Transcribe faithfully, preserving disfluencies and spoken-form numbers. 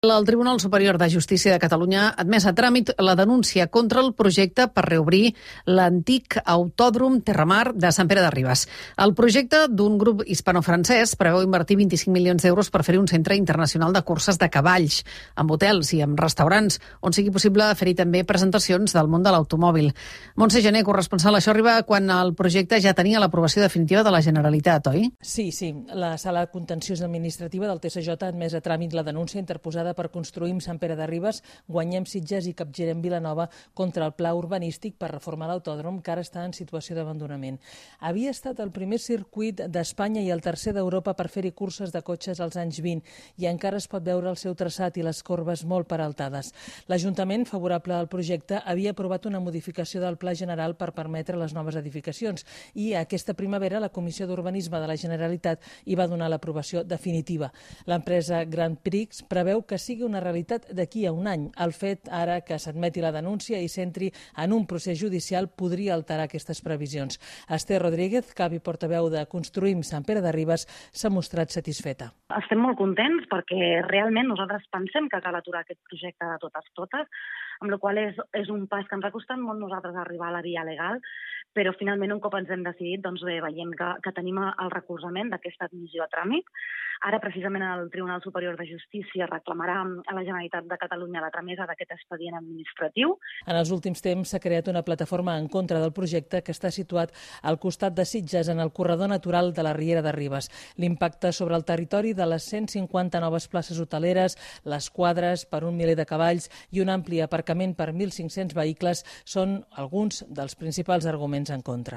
El Tribunal Superior de Justícia de Catalunya ha admès a tràmit la denúncia contra el projecte per reobrir l'antic autòdrom Terramar de Sant Pere de Ribes. El projecte d'un grup hispano-francès preveu invertir vint-i-cinc milions d'euros per fer un centre internacional de curses de cavalls, amb hotels i amb restaurants, on sigui possible fer-hi també presentacions del món de l'automòbil. Montse Gené, corresponsal, això arriba quan el projecte ja tenia l'aprovació definitiva de la Generalitat, oi? Sí, sí. La Sala Contenciosa Administrativa del T S J ha admès a tràmit la denúncia interposada per Construïm Sant Pere de Ribes, Guanyem Sitges i Capgirem Vilanova contra el pla urbanístic per reformar l'autòdrom, que ara està en situació d'abandonament. Havia estat el primer circuit d'Espanya i el tercer d'Europa per fer-hi curses de cotxes als anys vint i encara es pot veure el seu traçat i les corbes molt peraltades. L'Ajuntament, favorable al projecte, havia aprovat una modificació del Pla General per permetre les noves edificacions i aquesta primavera la Comissió d'Urbanisme de la Generalitat hi va donar l'aprovació definitiva. L'empresa Grand Prix preveu que sigui una realitat d'aquí a un any. El fet ara que s'admeti la denúncia i s'entri en un procés judicial podria alterar aquestes previsions. Esther Rodríguez, cap i portaveu de Construïm Sant Pere de Ribes, s'ha mostrat satisfeta. Estem molt contents perquè realment nosaltres pensem que cal aturar aquest projecte de totes totes, amb la qual cosa és, és un pas que ens ha costat molt nosaltres arribar a la via legal, però finalment un cop ens hem decidit, doncs bé, veiem que, que tenim el recolzament d'aquesta admissió a tràmit. Ara precisament el Tribunal Superior de Justícia reclamarà a la Generalitat de Catalunya la tramesa d'aquest expedient administratiu. En els últims temps s'ha creat una plataforma en contra del projecte que està situat al costat de Sitges, en el corredor natural de la Riera de Ribes. L'impacte sobre el territori de les cent cinquanta noves places hoteleres, les quadres per un miler de cavalls i un ampli aparcament per mil cinc-cents vehicles són alguns dels principals arguments en contra.